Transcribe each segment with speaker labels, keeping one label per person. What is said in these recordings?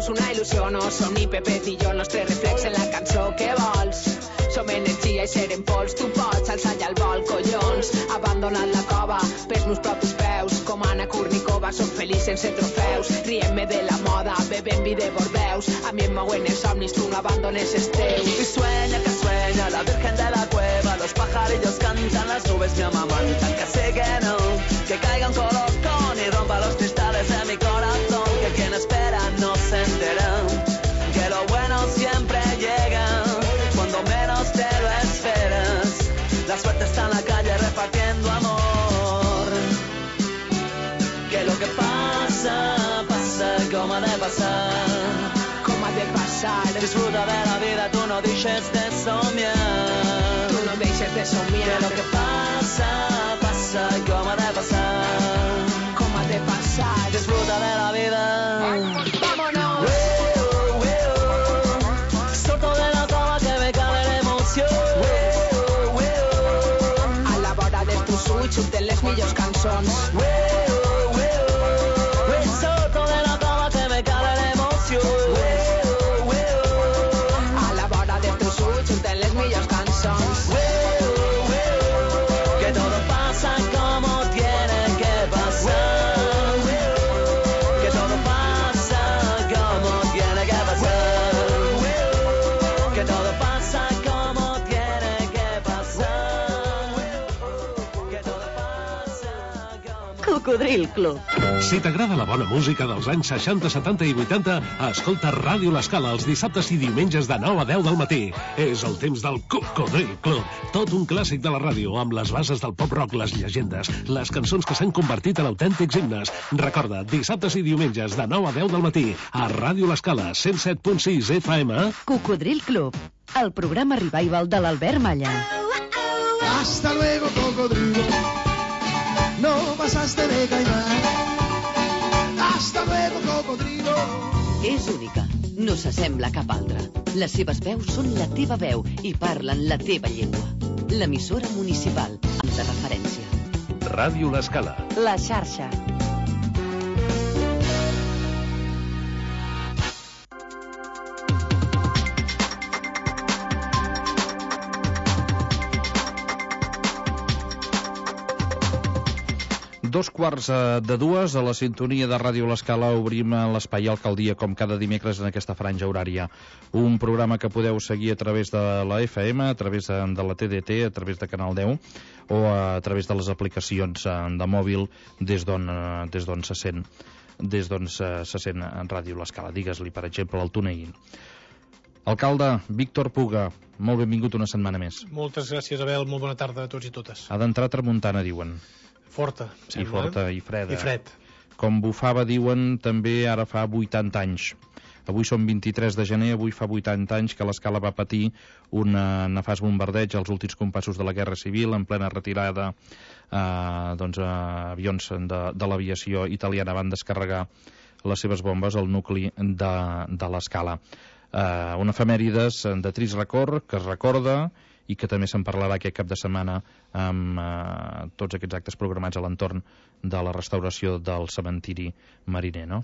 Speaker 1: veus una il·lusió, no som ni Pepet i jo, el nostre reflex en la cançó que vols. Som energia i serem pols, tu pots alçar ja el vol, collons. Abandonat la cova pels meus propis peus, com Anna Kournikova, soc feliç sense trofeus. Riem-me de la moda, bebem vi de Bordeus. A mi em mouen els somnis, tu no abandones els teus.
Speaker 2: Y sueña que sueña la virgen de la cueva, los pajarillos cantan, las nubes me amamantan, que sé que no, que caiga un colocón y rompa los cristales de mi corazón, que quien espera no se entera, que lo bueno siempre llega cuando menos te lo esperas. La suerte está en la calle repartiendo amor, que lo que pasa, pasa como ha de pasar. Disfruta de la vida, tú no deixes de somiar.
Speaker 1: Tu no deixes de somiar.
Speaker 2: Que lo que pasa, pasa como ha de pasar.
Speaker 1: Com ha de passar.
Speaker 2: Disfruta de la vida.
Speaker 1: Vámonos.
Speaker 2: Sorto de la cova que me cabe la emoción.
Speaker 1: A la vora dels teus ulls surten les millors cançons.
Speaker 2: Sorto de la cova que me cabe la emoción.
Speaker 1: Surten les millors cançons.
Speaker 2: Que todo pasa como tiene que pasar. Que todo pasa como tiene que pasar. Que todo pasa como tiene que pasar. Que todo pasa como...
Speaker 3: Cocodril Club.
Speaker 4: Si t'agrada la bona música dels anys 60, 70 i 80, escolta Ràdio L'Escala els dissabtes i diumenges de 9 a 10 del matí. És el temps del Cocodril Club. Tot un clàssic de la ràdio, amb les bases del pop-rock, les llegendes, les cançons que s'han convertit en autèntics himnes. Recorda, dissabtes i diumenges de 9 a 10 del matí, a Ràdio L'Escala, 107.6 FM.
Speaker 3: Cocodril Club, el programa revival de l'Albert Malla.
Speaker 5: Hasta luego, cocodrilo. No pasaste de caimán. Hasta luego, cocodrilo.
Speaker 3: És única, no s'assembla a cap altra. Les seves veus són la teva veu i parlen la teva llengua. L'emissora municipal de referència.
Speaker 4: Ràdio L'Escala.
Speaker 3: La xarxa.
Speaker 6: Dos quarts de dues, a la sintonia de Ràdio L'Escala obrim l'Espai Alcaldia com cada dimecres en aquesta franja horària. Un programa que podeu seguir a través de la FM, a través de la TDT, a través de Canal 10 o a través de les aplicacions de mòbil des d'on se sent en Ràdio L'Escala. Digues-li, per exemple, al TuneIn. Alcalde Víctor Puga, molt benvingut una setmana més.
Speaker 7: Moltes gràcies, Abel, molt bona tarda a tots i totes.
Speaker 6: Ha d'entrar tramuntana, diuen.
Speaker 7: Forta, sembla.
Speaker 6: I forta i freda.
Speaker 7: I fred.
Speaker 6: Com bufava, diuen, també ara fa 80 anys. Avui som 23 de gener, avui fa 80 anys que l'Escala va patir un nefast bombardeig als últims compassos de la Guerra Civil, en plena retirada. Avions de l'aviació italiana van descarregar les seves bombes al nucli de l'Escala. Un efemèrides de trist record que es recorda i que també se'n parlarà aquest cap de setmana amb tots aquests actes programats a l'entorn de la restauració del cementiri mariner, no?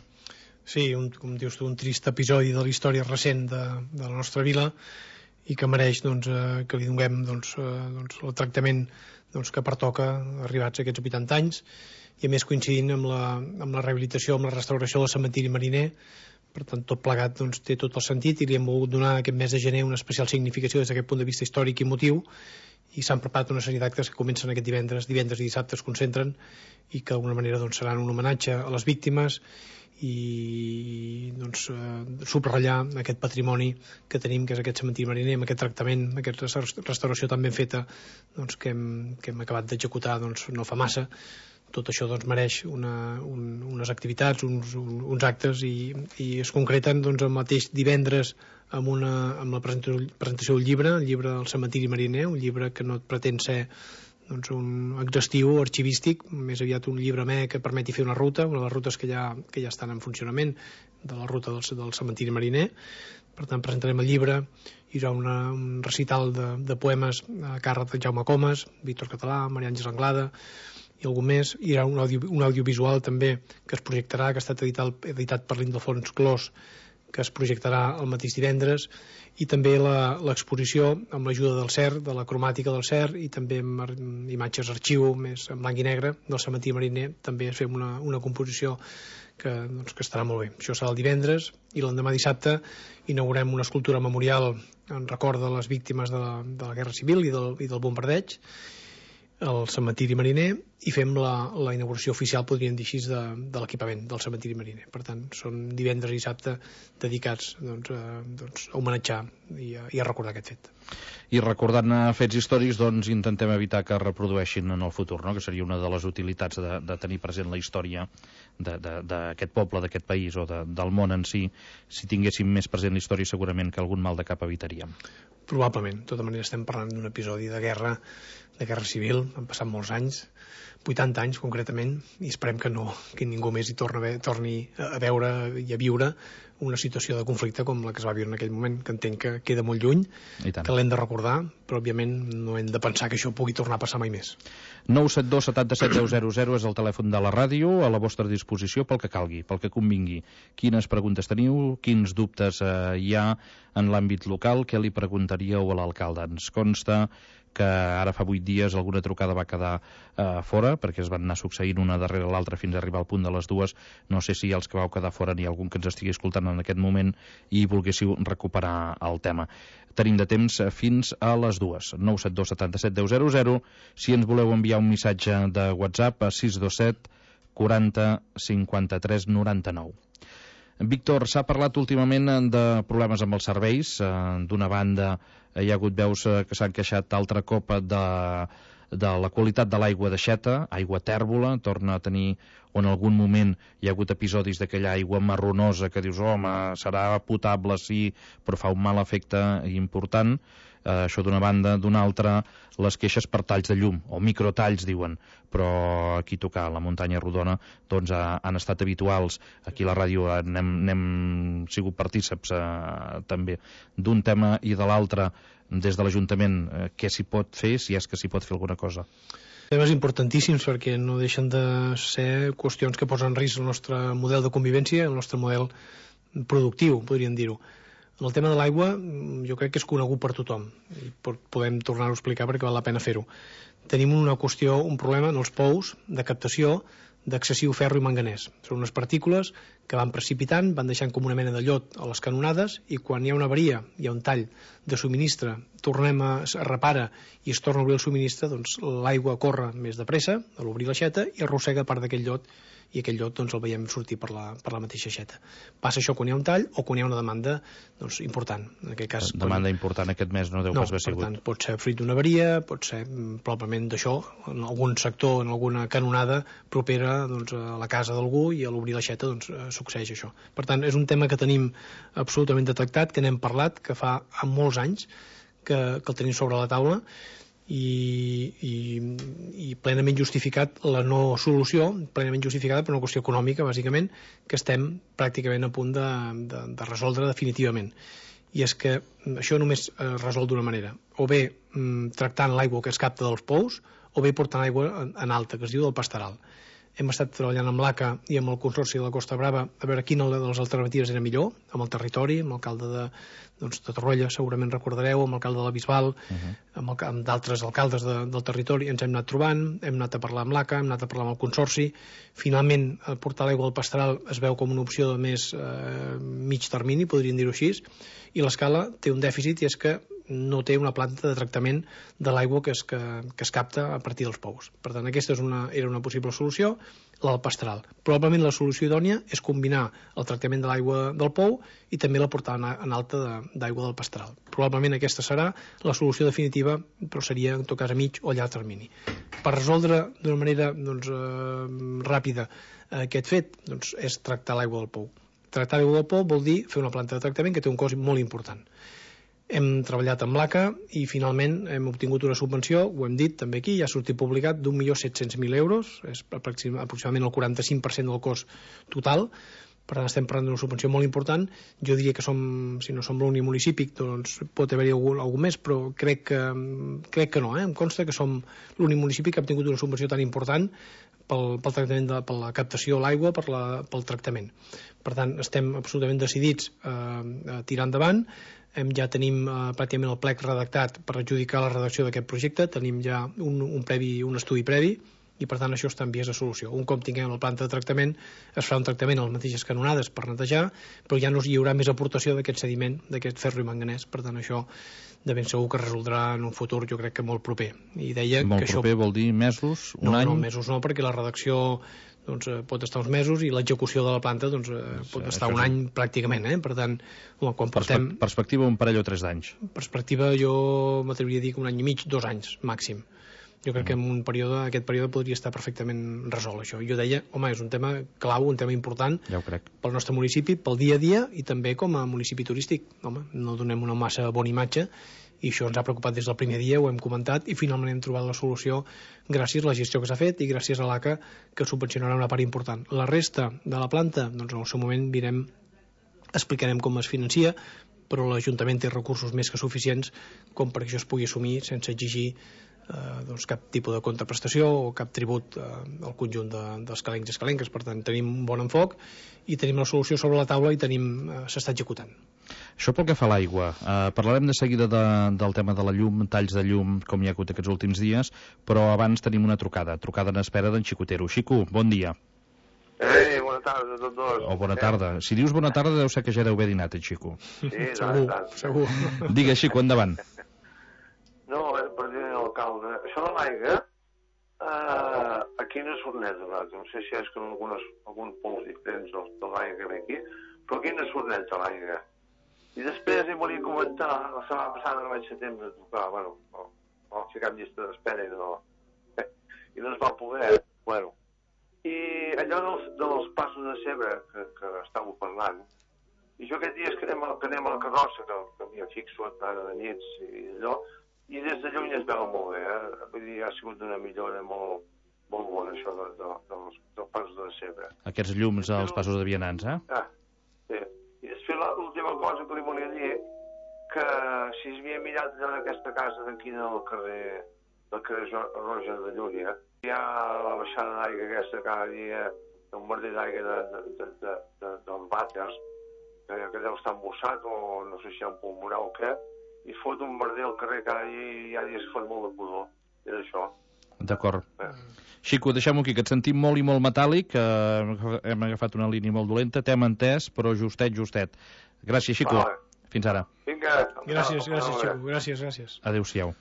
Speaker 7: Sí, com dius tu, un trist episodi de la història recent de la nostra vila i que mereix que li donem el tractament que pertoca arribats a aquests 80 anys i a més coincidint amb la rehabilitació, amb la restauració del cementiri mariner. Per tant, tot plegat té tot el sentit i li hem volgut donar aquest mes de gener una especial significació des d'aquest punt de vista històric i emotiu i s'han preparat una sèrie d'actes que comencen aquest divendres i dissabte es concentren i que d'alguna manera seran un homenatge a les víctimes i subratllar aquest patrimoni que tenim, que és aquest cementiri mariner, amb aquest tractament, aquesta restauració tan ben feta que hem acabat d'executar no fa massa. Tot això mereix unes activitats, uns actes i es concreten el mateix divendres amb la presentació del llibre, el llibre del cementiri mariner, un llibre que no pretén ser un exhaustiu arxivístic, més aviat un llibre que permeti fer una ruta, una de les rutes que ja estan en funcionament, de la ruta del cementiri mariner. Per tant, presentarem el llibre, hi haurà un recital de poemes a càrrec de Jaume Comas, Víctor Català, Maria Àngels Anglada i algú més. Hi haurà un audiovisual també que es projectarà, que ha estat editat per l'Ildefons Clos, que es projectarà el mateix divendres, i també l'exposició amb l'ajuda del CER, de la cromàtica del CER, i també amb imatges arxiu més en blanc i negre del cementiri mariner. També fem una composició que estarà molt bé. Això serà el divendres, i l'endemà dissabte inaugurem una escultura memorial en record de les víctimes de la Guerra Civil i del bombardeig al cementiri mariner, i fem la inauguració oficial, podríem dir així, de l'equipament del cementiri mariner. Per tant, són divendres i dissabte dedicats a homenatjar i a recordar aquest fet.
Speaker 6: I recordant fets històrics, doncs intentem evitar que es reprodueixin en el futur, no? Que seria una de les utilitats de tenir present la història d'aquest poble, d'aquest país o del món en si. Si tinguéssim més present la història, segurament que algun mal de cap evitaríem.
Speaker 7: Probablement. De tota manera, estem parlant d'un episodi de guerra civil. Han passat molts anys, 80 anys concretament, i esperem que ningú més hi torni a veure i a viure una situació de conflicte com la que es va viure en aquell moment, que entenc que queda molt lluny, que l'hem de recordar, però òbviament no hem de pensar que això pugui tornar a passar mai més.
Speaker 6: 972 77 10 és el telèfon de la ràdio, a la vostra disposició pel que calgui, pel que convingui. Quines preguntes teniu, quins dubtes hi ha en l'àmbit local, què li preguntaríeu a l'alcalde? Ens consta que ara fa 8 dies alguna trucada va quedar fora, perquè es van anar succeint una darrere l'altra fins a arribar al punt de les 2. No sé si els que vau quedar fora n'hi ha algun que ens estigui escoltant en aquest moment i volguéssiu recuperar el tema. Tenim de temps fins a les 2. 972 77 10 si ens voleu enviar un missatge de WhatsApp a 627 40 53 99. Víctor, s'ha parlat últimament de problemes amb els serveis. D'una banda, hi ha hagut veus que s'han queixat altre cop de la qualitat de l'aigua de Xeta, aigua tèrbola, torna a tenir, o en algun moment hi ha hagut episodis d'aquella aigua marronosa que dius, home, serà potable, sí, però fa un mal efecte important. Això d'una banda. D'una altra, les queixes per talls de llum, o microtalls, diuen, però aquí tocar la muntanya rodona doncs han estat habituals. Aquí a la ràdio n'hem sigut partíceps també d'un tema i de l'altre. Des de l'Ajuntament, què s'hi pot fer, si és que s'hi pot fer alguna cosa?
Speaker 7: Temes importantíssims, perquè no deixen de ser qüestions que posen en risc el nostre model de convivència, el nostre model productiu, podríem dir-ho. El tema de l'aigua jo crec que és conegut per tothom, i podem tornar-ho a explicar perquè val la pena fer-ho. Tenim una qüestió, un problema en els pous de captació d'excessiu ferro i manganès. Són unes partícules que van precipitant, van deixant com una mena de llot a les canonades, i quan hi ha una avaria, hi ha un tall de subministre, tornem es repara i es torna a obrir el subministre, doncs l'aigua corre més de pressa a l'obrir l'aixeta i arrossega part d'aquell llot, i aquell llot doncs el veiem sortir per la mateixa aixeta. Passa això quan hi ha un tall o quan hi ha una demanda important. En aquest cas,
Speaker 6: demanda important aquest mes no deu pas haver sigut.
Speaker 7: Per tant, pot ser fruit d'una avaria, pot ser probablement d'això, en algun sector, en alguna canonada propera a la casa d'algú, i a l'obrir l'aixeta succeeix això. Per tant, és un tema que tenim absolutament detectat, que n'hem parlat, que fa molts anys que el tenim sobre la taula, i plenament justificat la no solució, plenament justificada per una qüestió econòmica, bàsicament, que estem pràcticament a punt de resoldre definitivament. I és que això només es resol d'una manera, o bé tractant l'aigua que es capta dels pous, o bé portant aigua en alta, que es diu del pastoral. Hem estat treballant amb l'ACA i amb el Consorci de la Costa Brava a veure quina de les alternatives era millor, amb el territori, amb l'alcalde de Torroella, segurament recordareu, amb l'alcalde de la Bisbal, amb d'altres alcaldes del territori. Ens hem anat trobant, hem anat a parlar amb l'ACA, hem anat a parlar amb el Consorci. Finalment, portar l'aigua al pastoral es veu com una opció de més mig termini, podríem dir-ho així, i l'escala té un dèficit, i és que no té una planta de tractament de l'aigua que es capta a partir dels pous. Per tant, aquesta era una possible solució, la del pastoral. Probablement la solució idònia és combinar el tractament de l'aigua del pou i també la portada en alta d'aigua del pastoral. Probablement aquesta serà la solució definitiva, però seria en tot cas a mig o llarg termini. Per resoldre d'una manera ràpida aquest fet, és tractar l'aigua del pou. Tractar l'aigua del pou vol dir fer una planta de tractament que té un cost molt important. Hem treballat amb l'ACA i finalment hem obtingut una subvenció, ho hem dit també aquí, ja ha sortit publicat, d'1.700.000 euros, és aproximadament el 45% del cost total, Per tant, estem parlant d'una subvenció molt important. Jo diria que si no som l'únic municipi, doncs pot haver-hi algú més, però crec que no. Em consta que som l'únic municipi que ha tingut una subvenció tan important pel tractament, per la captació de l'aigua, pel tractament. Per tant, estem absolutament decidits a tirar endavant. Ja tenim pràcticament el plec redactat per adjudicar la redacció d'aquest projecte. Tenim ja un estudi previ, i per tant això està en vies de solució. Un cop tinguem la planta de tractament, es farà un tractament a les mateixes canonades per netejar, però ja no hi haurà més aportació d'aquest sediment, d'aquest ferro i manganès. Per tant, això de ben segur que es resoldrà en un futur, jo crec que molt proper. I deia
Speaker 6: molt
Speaker 7: que
Speaker 6: proper
Speaker 7: això...
Speaker 6: vol dir mesos, un any?
Speaker 7: No, mesos no, perquè la redacció pot estar uns mesos i l'execució de la planta pot estar un any pràcticament. Per tant, quan portem...
Speaker 6: Perspectiva un parell o 3 d'anys.
Speaker 7: Perspectiva jo m'atreviria a dir que un any i mig, 2 anys màxim. Jo crec que en aquest període podria estar perfectament resolt això. Jo deia, home, és un tema clau, un tema important
Speaker 6: ja ho crec.
Speaker 7: Pel nostre municipi, pel dia a dia i també com a municipi turístic. Home, no donem una massa bona imatge i això ens ha preocupat des del primer dia, ho hem comentat i finalment hem trobat la solució gràcies a la gestió que s'ha fet i gràcies a l'ACA, que subvencionarà una part important. La resta de la planta, doncs en el seu moment explicarem com es financia, però l'Ajuntament té recursos més que suficients com perquè això es pugui assumir sense exigir cap tipus de contraprestació o cap tribut al conjunt dels calencs i escalenques. Per tant, tenim un bon enfoc i tenim la solució sobre la taula i s'està executant.
Speaker 6: Això pel que fa a l'aigua. Parlarem de seguida del tema de la llum, talls de llum, com hi ha hagut aquests últims dies, però abans tenim una trucada en espera d'en Xicotero. Xico, bon dia.
Speaker 8: Bona tarda a tots dos.
Speaker 6: Bona tarda. Si dius bona tarda deu ser que ja deu haver dinat, Xico.
Speaker 8: Sí,
Speaker 7: segur.
Speaker 6: Digues, Xico, endavant.
Speaker 8: No, president alcalde, això de l'aigua, aquí no surt net, no sé si és que alguns pols diferents de l'aigua que ve aquí, però aquí no surt net de l'aigua. I després hi volia comentar, la setmana passada no vaig ser temps de trucar, vam ficar en llista d'espera i no es va poder, I allò dels passos de Cebre que estàveu parlant, i jo aquest dia que anem a la carrossa, que m'hi fixo ara de nits i allò, i des de lluny es veu molt bé, Vull dir, ha sigut una millora molt bona, això dels passos de Cebre.
Speaker 6: Aquests llums als passos de vianants,
Speaker 8: Sí. I després l'última cosa que li volia dir, que si es havia mirat allò d'aquesta casa d'aquí del carrer Roja de Llúria, hi ha la baixada d'aigua aquesta cada dia, un merder d'aigua dels vàters, que deu estar embossat, o no sé si hi ha un pulmonar o què, i fot un merder al carrer cada dia i hi ha dies que fot molt de pudor. És això.
Speaker 6: D'acord. Xico, deixem-ho aquí, que et sentim molt i molt metàl·lic, hem agafat una línia molt dolenta, t'hem entès, però justet. Gràcies, Xico.
Speaker 8: Vale.
Speaker 6: Fins ara.
Speaker 8: Vinga.
Speaker 7: Gràcies, Xico. Gràcies.
Speaker 6: Adéu-siau.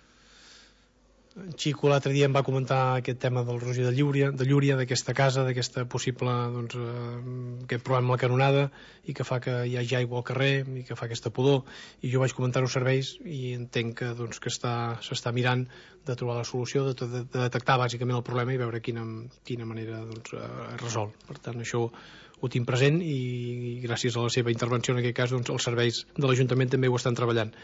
Speaker 7: Xico l'altre dia em va comentar aquest tema del Roger de Llúria, d'aquesta casa, d'aquesta possible, aquest problema amb la canonada i que fa que hi hagi aigua al carrer i que fa aquesta pudor, i jo vaig comentar als serveis i entenc que s'està mirant de trobar la solució, de detectar bàsicament el problema i veure quina manera es resol. Per tant, això ho tinc present i gràcies a la seva intervenció en aquest cas els serveis de l'Ajuntament també ho estan treballant.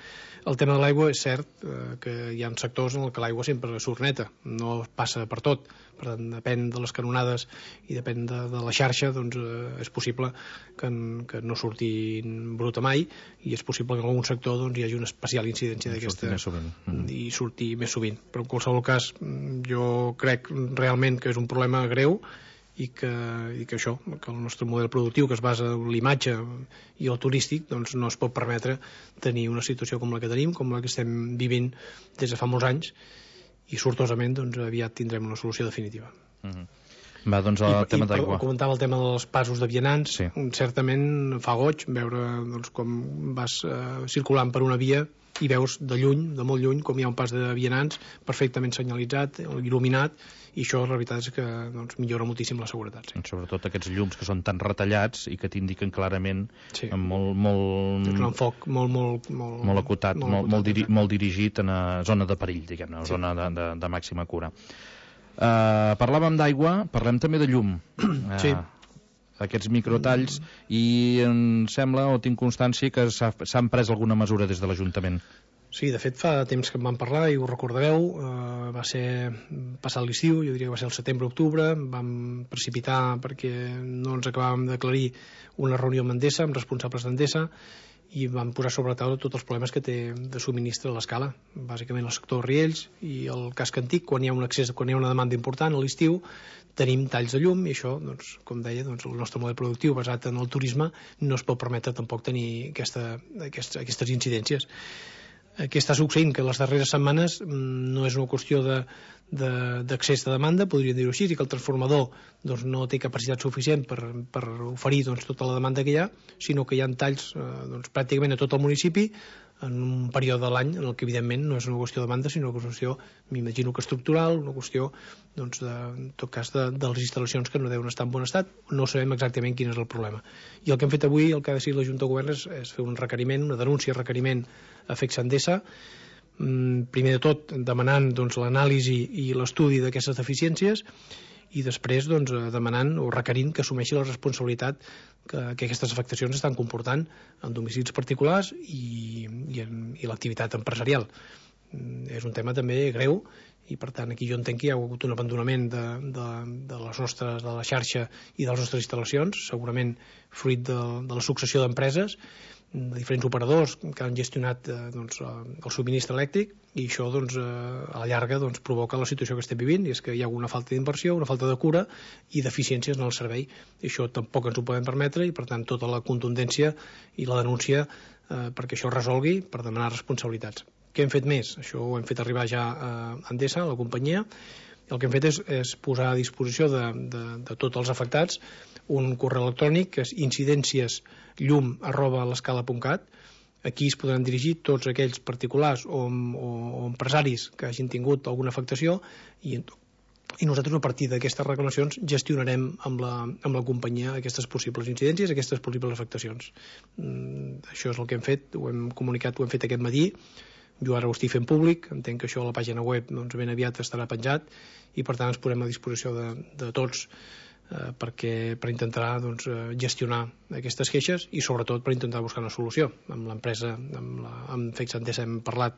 Speaker 7: El tema de l'aigua és cert que hi ha sectors en què l'aigua sempre surt neta, no passa per tot, per tant depèn de les canonades i depèn de la xarxa, és possible que no surti bruta mai i és possible que en algun sector hi hagi una especial incidència d'aquesta i surti més sovint, però en qualsevol cas jo crec realment que és un problema greu i que això, que el nostre model productiu que es basa en l'imatge i el turístic no es pot permetre tenir una situació com la que tenim, com la que estem vivint des de fa molts anys i sortosament aviat tindrem una solució definitiva.
Speaker 6: Va, doncs el tema d'aigua.
Speaker 7: Comentava el tema dels passos de vianants,
Speaker 6: sí.
Speaker 7: Certament fa goig veure com vas circulant per una via i veus de lluny, de molt lluny, com hi ha un pas de vianants perfectament senyalitzat, il·luminat, i això la veritat és que millora moltíssim la seguretat. Sí.
Speaker 6: Sobretot aquests llums que són tan retallats i que t'indiquen clarament molt...
Speaker 7: És un enfoc
Speaker 6: molt acotat, molt dirigit a zona de perill, diguem-ne, zona de màxima cura. Parlàvem d'aigua, parlem també de llum.
Speaker 7: Sí.
Speaker 6: Aquests microtalls, i em sembla o tinc constància que s'han pres alguna mesura des de l'Ajuntament.
Speaker 7: Sí, de fet fa temps que en vam parlar i ho recordareu, va ser passat l'estiu, jo diria que va ser el setembre-octubre, vam precipitar perquè no ens acabàvem d'aclarir una reunió amb Endesa, amb responsables d'Endesa, i vam posar sobre la taula tots els problemes que té de subministre a l'escala, bàsicament el sector Riells i el casc antic. Quan hi ha un accés, quan hi ha una demanda important a l'estiu, tenim talls de llum i això, doncs, com deia, doncs, el nostre model productiu basat en el turisme no es pot permetre tampoc tenir aquestes incidències. Què està succeint? Que les darreres setmanes no és una qüestió d'accés de demanda, podríem dir-ho així, i que el transformador doncs, no té capacitat suficient per oferir doncs, tota la demanda que hi ha, sinó que hi ha talls doncs, pràcticament a tot el municipi en un període de l'any en el que evidentment no és una qüestió de demanda, sinó que és una qüestió, m'imagino que estructural, una qüestió doncs, en tot cas de les instal·lacions que no deuen estar en bon estat. No sabem exactament quin és el problema, i el que hem fet avui, el que ha decidit la Junta de Govern és fer un requeriment, una denúncia requeriment a FECS Endesa, primer de tot demanant doncs, l'anàlisi i l'estudi d'aquestes deficiències, i després doncs, demanant o requerint que assumeixi la responsabilitat que aquestes afectacions estan comportant en domicilis particulars i l'activitat empresarial. És un tema també greu, i per tant aquí jo entenc que hi ha hagut un abandonament de la xarxa i de les nostres instal·lacions, segurament fruit de la successió d'empreses, de diferents operadors que han gestionat doncs, el subministre elèctric, i això doncs, a la llarga doncs, provoca la situació que estem vivint, i és que hi ha una falta d'inversió, una falta de cura i deficiències en el servei, i això tampoc ens ho podem permetre, i per tant tota la contundència i la denúncia perquè això es resolgui, per demanar responsabilitats. Què hem fet més? Això ho hem fet arribar ja a Endesa, a la companyia. El que hem fet és posar a disposició de tots els afectats un correu electrònic que és incidenciasllum@l'escala.cat. Aquí es podran dirigir tots aquells particulars o empresaris que hagin tingut alguna afectació, i nosaltres a partir d'aquestes reclamacions gestionarem amb la companyia aquestes possibles incidències, aquestes possibles afectacions. Això és el que hem fet, ho hem comunicat, ho hem fet aquest matí. Jo ara ho estic fent públic, entenc que això a la pàgina web doncs, ben aviat estarà penjat, i per tant ens posem a disposició de tots per intentar doncs, gestionar aquestes queixes, i sobretot per intentar buscar una solució. Amb l'empresa, amb FECS Endesa hem parlat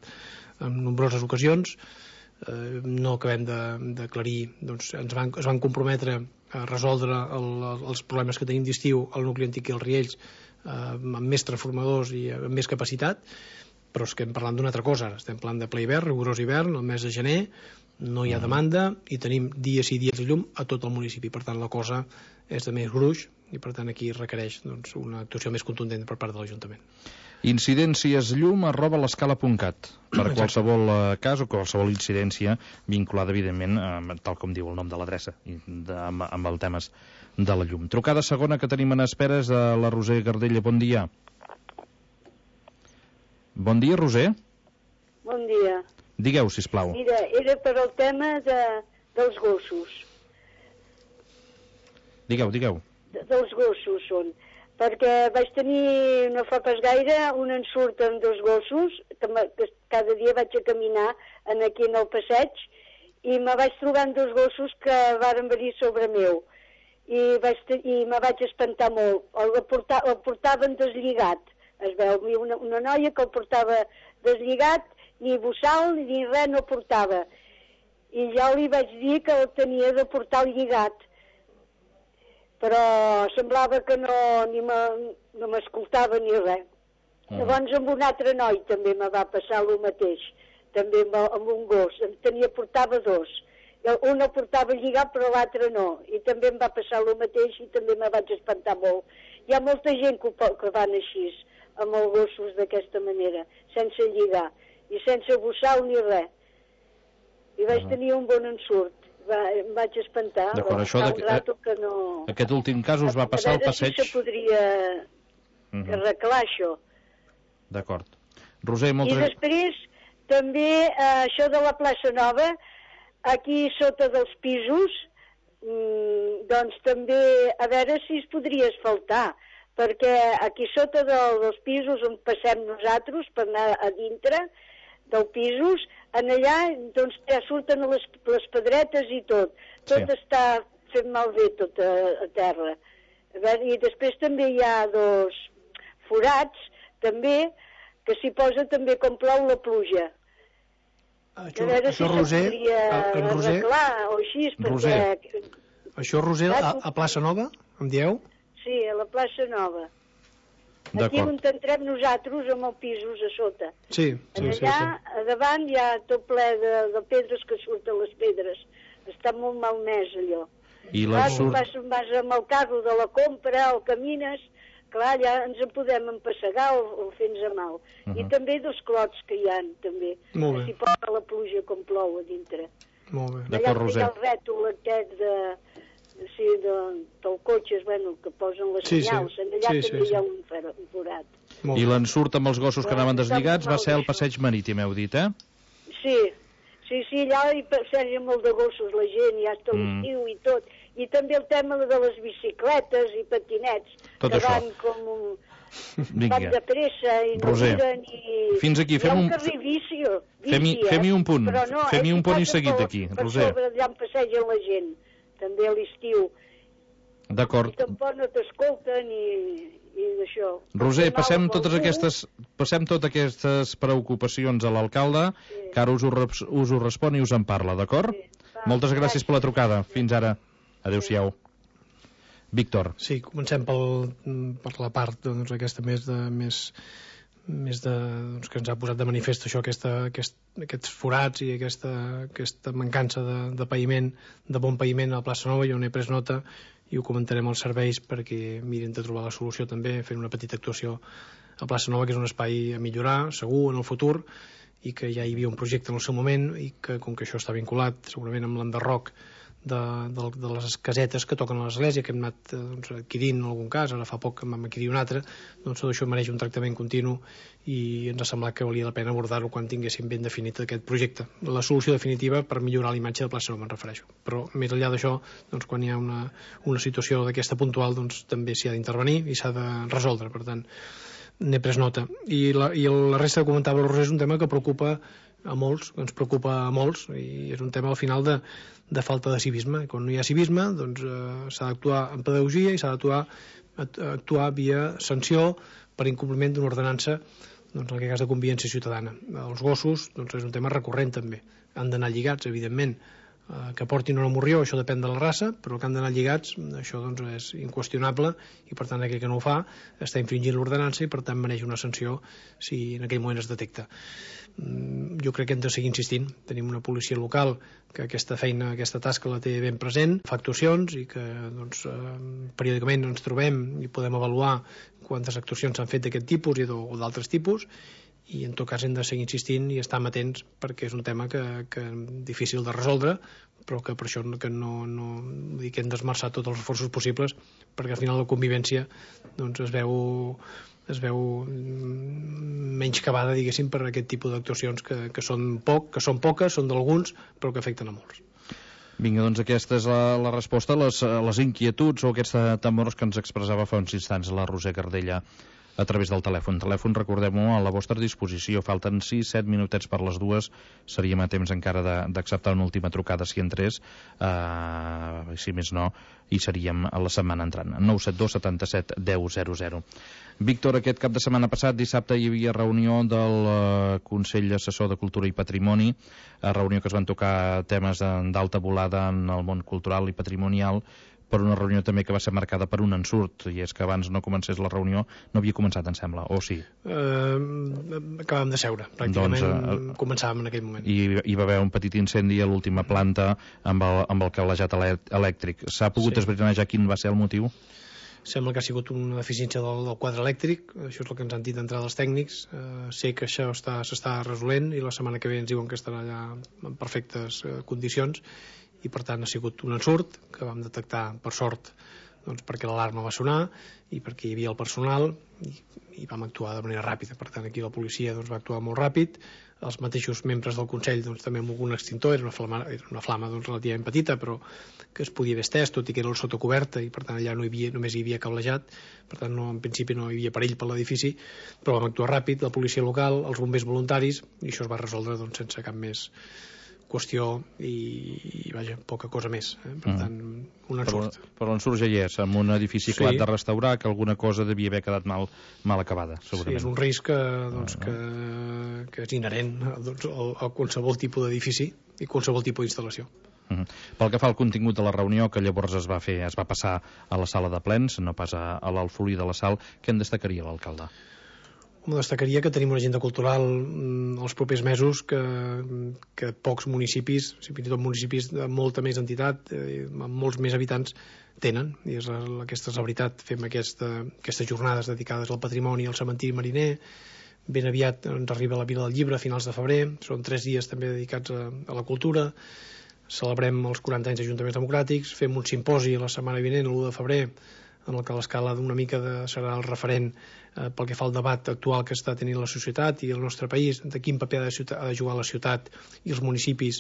Speaker 7: en nombroses ocasions, no acabem d'aclarir, doncs, es van comprometre a resoldre els problemes que tenim d'estiu al nucli antic i els Riells amb més transformadors i amb més capacitat, però és que hem parlat d'una altra cosa. Estem parlant de ple hivern, rigorós hivern, el mes de gener, no hi ha demanda i tenim dies i dies de llum a tot el municipi. Per tant, la cosa és de més gruix, i per tant aquí requereix doncs, una actuació més contundent per part de l'Ajuntament.
Speaker 6: Incidenciasllum@l'escala.cat per qualsevol cas o qualsevol incidència vinculada, evidentment, tal com diu el nom de l'adreça, amb els temes de la llum. Trucada segona que tenim en esperes de la Roser Gardella. Bon dia. Bon dia, Roser.
Speaker 9: Bon dia.
Speaker 6: Digueu, sisplau.
Speaker 9: Mira, era per al tema dels gossos.
Speaker 6: Digueu.
Speaker 9: Dels gossos són. Perquè vaig tenir, no fa pas gaire, un ensurt amb dos gossos, que cada dia vaig a caminar aquí en el passeig, i me vaig trobar amb dos gossos que varen venir sobre meu. I me vaig espantar molt. El portaven deslligat. Es veu, una noia que el portava deslligat, ni bossal ni res no portava. I jo li vaig dir que el tenia de portar lligat. Però semblava que no m'escoltava ni res. Llavors amb un altre noi també me va passar el mateix, també amb un gos. Portava dos. Un el portava lligat però l'altre no. I també em va passar el mateix i també me vaig espantar molt. Hi ha molta gent que van així, amb els gossos d'aquesta manera, sense lligar i sense bossal ni res. I vaig tenir un bon ensurt. Em vaig espantar.
Speaker 6: D'acord, això aquest últim cas us va passar al passeig.
Speaker 9: Si se podria arreglar això.
Speaker 6: D'acord. Roser,
Speaker 9: I després també això de la plaça Nova, aquí sota dels pisos, doncs també a veure si es podria asfaltar, perquè aquí sota dels pisos on passem nosaltres per anar a dintre dels pisos, en allà doncs ja surten les pedretes i tot està fet malbé tot a terra. I després també hi ha dos forats també que s'hi posa també com plou la pluja.
Speaker 7: Això Roser, en Roser...
Speaker 9: O així, perquè...
Speaker 7: Això Roser, a Plaça Nova, em dieu?
Speaker 9: Sí, a la Plaça Nova. Aquí on entrem nosaltres, amb els pisos a sota.
Speaker 7: Sí.
Speaker 9: Allà, a davant, hi ha tot ple de pedres que surten les pedres. Està molt malmès, allò.
Speaker 6: I
Speaker 9: vas amb el carro de la compra, o camines, clar, allà ens en podem empassegar o fer-nos mal. I també dos clots que hi ha, també.
Speaker 7: Molt bé.
Speaker 9: Si posa la pluja com plou a dintre.
Speaker 7: Molt bé.
Speaker 6: D'acord, Roser.
Speaker 9: Allà hi ha el rètol aquest del cotxe, bueno, que posen les senyals. Allà també hi ha un forat.
Speaker 6: I l'ensurt amb els gossos que anaven deslligats va ser el passeig marítim, heu dit,
Speaker 9: Sí, allà hi passeja molt de gossos la gent, ja està l'estiu i tot. I també el tema de les bicicletes i patinets,
Speaker 6: tot
Speaker 9: que
Speaker 6: això.
Speaker 9: van com van de pressa i no miren i...
Speaker 6: Fins aquí,
Speaker 9: fem un carrer vici,
Speaker 6: fem-hi un punt, fem-hi un punt i seguit aquí, Roser.
Speaker 9: Per sobre allà on passegen la gent, també a l'estiu.
Speaker 6: D'acord.
Speaker 9: I tampoc no t'escolten i d'això.
Speaker 6: Roser, passem totes aquestes preocupacions a l'alcalde, que ara us ho respon i us en parla, d'acord? Moltes gràcies per la trucada. Fins ara. Adéu-siau. Víctor.
Speaker 7: Sí, comencem per la part aquesta més que ens ha posat de manifest això, aquests forats i aquesta mancança de paviment, de bon paviment a la plaça Nova. Jo n'he pres nota i ho comentarem als serveis perquè miren de trobar la solució també, fent una petita actuació a plaça Nova, que és un espai a millorar, segur, en el futur, i que ja hi havia un projecte en el seu moment i que, com que això està vinculat segurament amb l'enderroc de les casetes que toquen a l'església, que hem anat adquirint en algun cas, ara fa poc que vam adquirir un altre, doncs tot això mereix un tractament continu i ens ha semblat que valia la pena abordar-ho quan tinguéssim ben definit aquest projecte. La solució definitiva per millorar la imatge de plaça Nova, me'n refereixo. Però més enllà d'això, doncs, quan hi ha una situació d'aquesta puntual, doncs també s'hi ha d'intervenir i s'ha de resoldre. Per tant, n'he pres nota. I la resta que comentava el Roser és un tema que preocupa a molts, que ens preocupa a molts, i és un tema al final de falta de civisme. Quan no hi ha civisme, doncs s'ha d'actuar en pedagogia i s'ha d'actuar via sanció per incompliment d'una ordenança, doncs en aquest cas de convivència ciutadana. Els gossos, doncs és un tema recurrent també. Han d'anar lligats, evidentment, que portin una morrió, això depèn de la raça, però que han d'anar lligats, això doncs és inqüestionable, i per tant aquell que no ho fa està infringint l'ordenança i per tant mereix una sanció si en aquell moment es detecta. Jo crec que hem de seguir insistint. Tenim una policia local que aquesta feina, aquesta tasca la té ben present, fa actuacions i que doncs, periòdicament ens trobem i podem avaluar quantes actuacions s'han fet d'aquest tipus o d'altres tipus, i en tot cas hem de seguir insistint i estar amatents perquè és un tema que difícil de resoldre, però que per això que hem d'esmerçar tots els esforços possibles perquè al final la convivència doncs, es veu menys cavada, diguéssim, per aquest tipus d'actuacions que són poques, són d'alguns, però que afecten a molts.
Speaker 6: Vinga, doncs aquesta és la resposta a les inquietuds o aquests temors que ens expressava fa uns instants la Roser Cardella a través del telèfon. Telèfon, recordem-ho, a la vostra disposició. Falten 6-7 minutets per les 2. Seríem a temps encara d'acceptar una última trucada si entrés, si més no, i seríem a la setmana entrant. 972 77 10 00. Víctor, aquest cap de setmana passat, dissabte, hi havia reunió del Consell Assessor de Cultura i Patrimoni, reunió que es van tocar temes d'alta volada en el món cultural i patrimonial, per una reunió també que va ser marcada per un ensurt, i és que abans no comencés la reunió, no havia començat, em sembla, o sí?
Speaker 7: Acabàvem de seure, pràcticament començàvem en aquell moment.
Speaker 6: I hi va haver un petit incendi a l'última planta amb el cablejat elèctric. S'ha pogut esbrinar ja quin va ser el motiu?
Speaker 7: Sembla que ha sigut una deficiència del quadre elèctric, això és el que ens han dit d'entrada els tècnics. Sé que això s'està resolent i la setmana que ve ens diuen que estarà allà en perfectes condicions, i per tant ha sigut un ensurt que vam detectar per sort, doncs perquè l'alarma va sonar i perquè hi havia el personal i vam actuar de manera ràpida. Per tant aquí la policia doncs, va actuar molt ràpid, els mateixos membres del Consell doncs, també amb algun extintor, era una flama doncs, relativament petita però que es podia haver estès, tot i que era el sota coberta i per tant allà només hi havia cablejat, per tant en principi no hi havia perill per l'edifici, però vam actuar ràpid, la policia local, els bombers voluntaris, i això es va resoldre doncs, sense cap més qüestió i vaja, poca cosa més. Per tant, un ensurt.
Speaker 6: Però l'ensurt ja hi és, amb un edifici acabat de restaurar, que alguna cosa devia haver quedat mal acabada, segurament.
Speaker 7: Sí, és un risc que és inherent a qualsevol tipus d'edifici i qualsevol tipus d'instal·lació.
Speaker 6: Pel que fa al contingut de la reunió, que llavors es va passar a la sala de plens, no pas a l'Alfolí de la Sal, què en destacaria l'alcalde?
Speaker 7: Destacaria que tenim una agenda cultural els propers mesos que pocs municipis, fins i tot municipis de molta més entitat, amb molts més habitants, tenen. I aquesta és la veritat. Fem aquestes jornades dedicades al patrimoni, al cementiri mariner. Ben aviat ens arriba la Vila del Llibre a finals de febrer. Són 3 dies també dedicats a la cultura. Celebrem els 40 anys d'Ajuntaments Democràtics, fem un simposi la setmana vinent, l'1 de febrer, en el que l'escala d'una mica serà el referent pel que fa al debat actual que està tenint la societat i el nostre país, de quin paper ha de jugar la ciutat i els municipis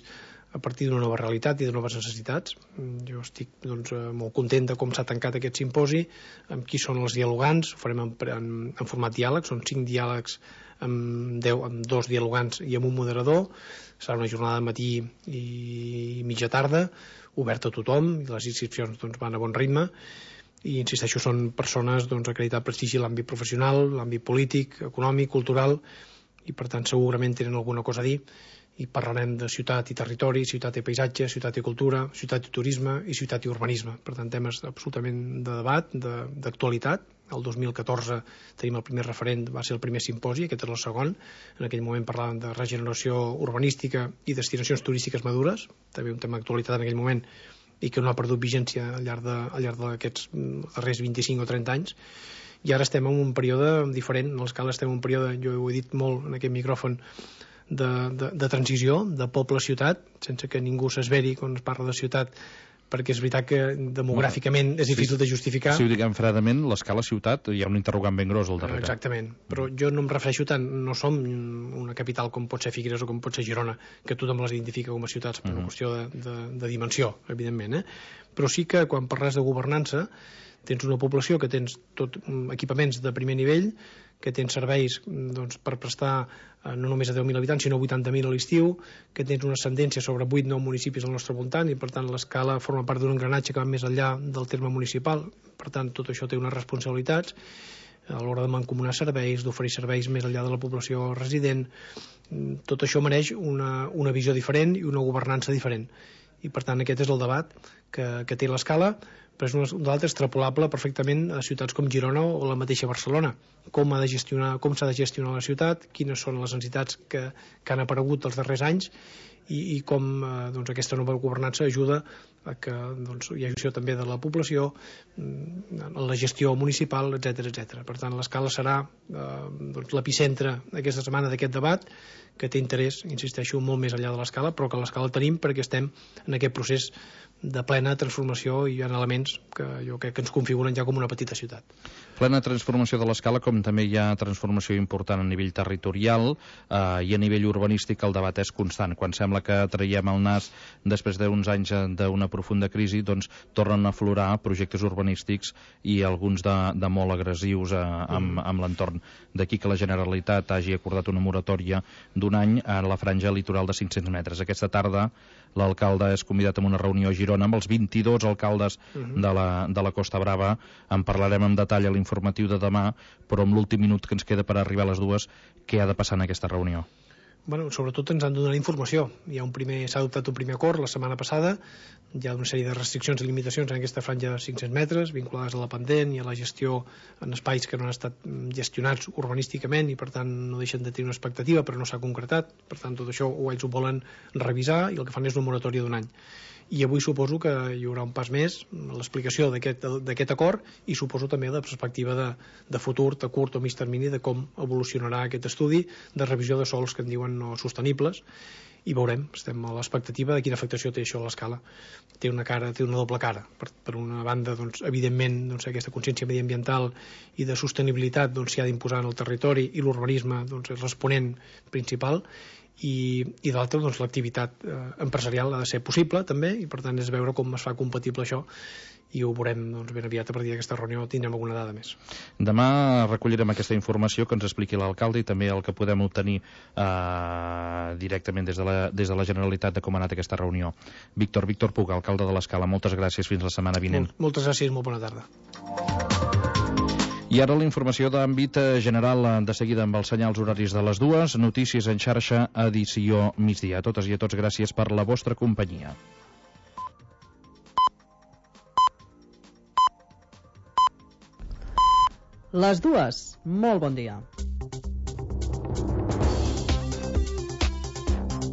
Speaker 7: a partir d'una nova realitat i de noves necessitats. Jo estic molt content de com s'ha tancat aquest simposi, amb qui són els dialogants, ho farem en format diàleg, són 5 diàlegs amb 2 dialogants i amb un moderador. Serà una jornada de matí i mitja tarda, oberta a tothom, i les inscripcions van a bon ritme, i insisteixo, són persones acreditat prestigi en l'àmbit professional, l'àmbit polític, econòmic, cultural, i per tant segurament tenen alguna cosa a dir, i parlarem de ciutat i territori, ciutat i paisatge, ciutat i cultura, ciutat i turisme i ciutat i urbanisme. Per tant, temes absolutament de debat, d'actualitat. El 2014 tenim el primer referent, va ser el primer simposi, aquest és el segon. En aquell moment parlàvem de regeneració urbanística i destinacions turístiques madures, també un tema d'actualitat en aquell moment i que no ha perdut vigència al llarg d'aquests darrers 25 o 30 anys. I ara estem en un període diferent, en l'escala estem en un període, jo ho he dit molt en aquest micròfon, de transició, de poble-ciutat, sense que ningú s'esveri quan es parla de ciutat, perquè és veritat que demogràficament és difícil de justificar.
Speaker 6: Si ho diguem fredament, l'escala ciutat hi ha un interrogant ben gros al darrere.
Speaker 7: Exactament, però jo no em refereixo tant, no som una capital com pot ser Figueres o com pot ser Girona, que tothom les identifica com a ciutats per una qüestió de dimensió, evidentment, però sí que quan parles de governança tens una població que tens tot equipaments de primer nivell, que tens serveis per prestar no només a 10.000 habitants, sinó 80.000 a l'estiu, que tens una ascendència sobre 8-9 municipis al nostre voltant i, per tant, l'escala forma part d'un engranatge que va més enllà del terme municipal. Per tant, tot això té unes responsabilitats a l'hora de mancomunar serveis, d'oferir serveis més enllà de la població resident. Tot això mereix una visió diferent i una governança diferent. I, per tant, aquest és el debat que té l'escala, però és un d'altre extrapolable perfectament a ciutats com Girona o la mateixa Barcelona. Com s'ha de gestionar la ciutat, quines són les necessitats que han aparegut els darrers anys i com aquesta nova governança ajuda a que hi hagi visió també de la població, la gestió municipal, etc. Per tant, l'escala serà l'epicentre aquesta setmana d'aquest debat, que té interès, insisteixo, molt més enllà de l'escala, però que l'escala tenim perquè estem en aquest procés de plena transformació i hi ha elements que jo crec que ens configuren ja com una petita ciutat.
Speaker 6: Plena transformació de l'escala, com també hi ha transformació important a nivell territorial i a nivell urbanístic el debat és constant. Quan sembla que traiem el nas després d'uns anys d'una profunda crisi, doncs tornen a aflorar projectes urbanístics i alguns de molt agressius amb l'entorn. D'aquí que la Generalitat hagi acordat una moratòria d'un any a la franja litoral de 500 metres. Aquesta tarda l'alcalde és convidat a una reunió a Girona amb els 22 alcaldes de la Costa Brava. En parlarem en detall a l'informatiu de demà, però amb l'últim minut que ens queda per arribar a les 2, què ha de passar en aquesta reunió?
Speaker 7: Sobretot ens han de donar informació. S'ha adoptat un primer acord la setmana passada, hi ha una sèrie de restriccions i limitacions en aquesta franja de 500 metres vinculades a la pendent i a la gestió en espais que no han estat gestionats urbanísticament i per tant no deixen de tenir una expectativa però no s'ha concretat, per tant tot això ells ho volen revisar i el que fan és una moratòria d'un any. I avui suposo que hi haurà un pas més, l'explicació d'aquest acord i suposo també la perspectiva de futur, de curt o mig termini, de com evolucionarà aquest estudi de revisió de sols que en diuen no sostenibles i veurem, estem a l'expectativa de quina afectació té això a l'escala. Té una doble cara. Per una banda, evidentment, aquesta consciència mediambiental i de sostenibilitat s'hi ha d'imposar en el territori i l'urbanisme és l'exponent principal i de l'altra doncs, l'activitat empresarial ha de ser possible també, i per tant és veure com es fa compatible això, i ho veurem doncs, ben aviat. A partir d'aquesta reunió tindrem alguna dada més.
Speaker 6: Demà recollirem aquesta informació que ens expliqui l'alcalde i també el que podem obtenir directament des de la Generalitat de com ha anat aquesta reunió. Víctor Puig, alcalde de l'Escala, moltes gràcies, fins la setmana vinent.
Speaker 7: Moltes gràcies, molt bona tarda.
Speaker 6: I ara la informació d'àmbit general, de seguida amb els senyals horaris de les 2, notícies en xarxa, edició migdia. A totes i a tots, gràcies per la vostra companyia.
Speaker 10: Les 2, molt bon dia.